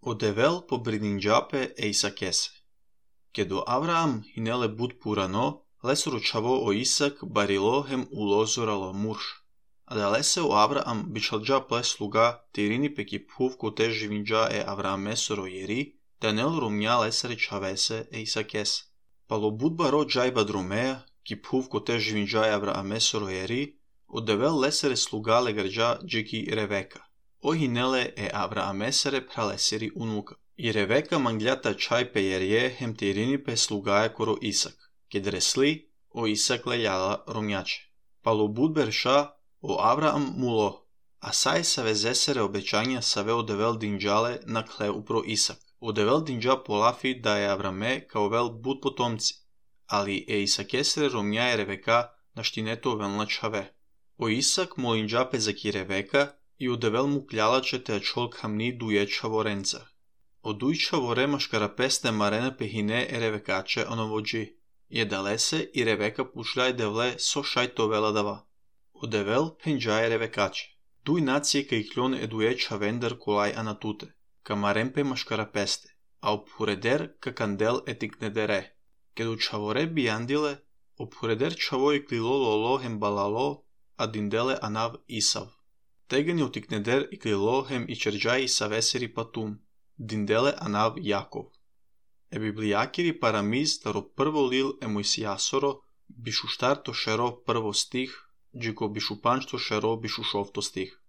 Odevel po bridingiape e Isakese. Kedo Avraam hinele bud purano, lesru chavo o Isak barilo hem ulozoralo murš. Adalese o Avraam bičalja ple sluga tirini peki puv kote živinja e Avraamesoro jeri, danel rumnja lesere chavese e Isakese. Palo bud baro jaiba drumea, ki puv kote živinja e Avraamesoro jeri, odevel lesere sluga legarja džeki Reveka. O hinele e Avraamesere praleseri unuka. I Reveka mangliata čaj pe jerje hem tirini pe slugaje koro Isak, ked resli o Isak lejala rumnjače. Palo bud berša o Avraam mulo, a saj save zesere obećanja save odevel dinđale na kle upro Isak. Odevel dinđa polafi da je Avrame kao vel bud potomci, ali e Isakesere rumnjaje Reveka na štineto velna čave. O Isak molinđa pe zaki Reveka i odevel mu kljalače te ačol kamni dujeća vorenca. Odujča vore maškarapeste marene pehine e Revekače onovođi. Je dalese i Reveka pušljaj devle so šajto vela dava. Odevel penđaje Revekače. Duj nacije ka ikljon edujeća vendar kolaj anatute. Ka marempe maškarapeste. A opureder ka kandel etiknedere. Kedu čavore bijandile, opureder čavoj klilo lolo hem balalo, a dindele anav Isav. Tegen je utikneder i klilo hem i čerđaj Isaveseri patum. Dindele anav Jakov. E biblijakiri paramiz taro prvo lil e Mojsijasoro, bišu štarto šero prvo stih, džiko bišu pančto šero bišu šovto stih.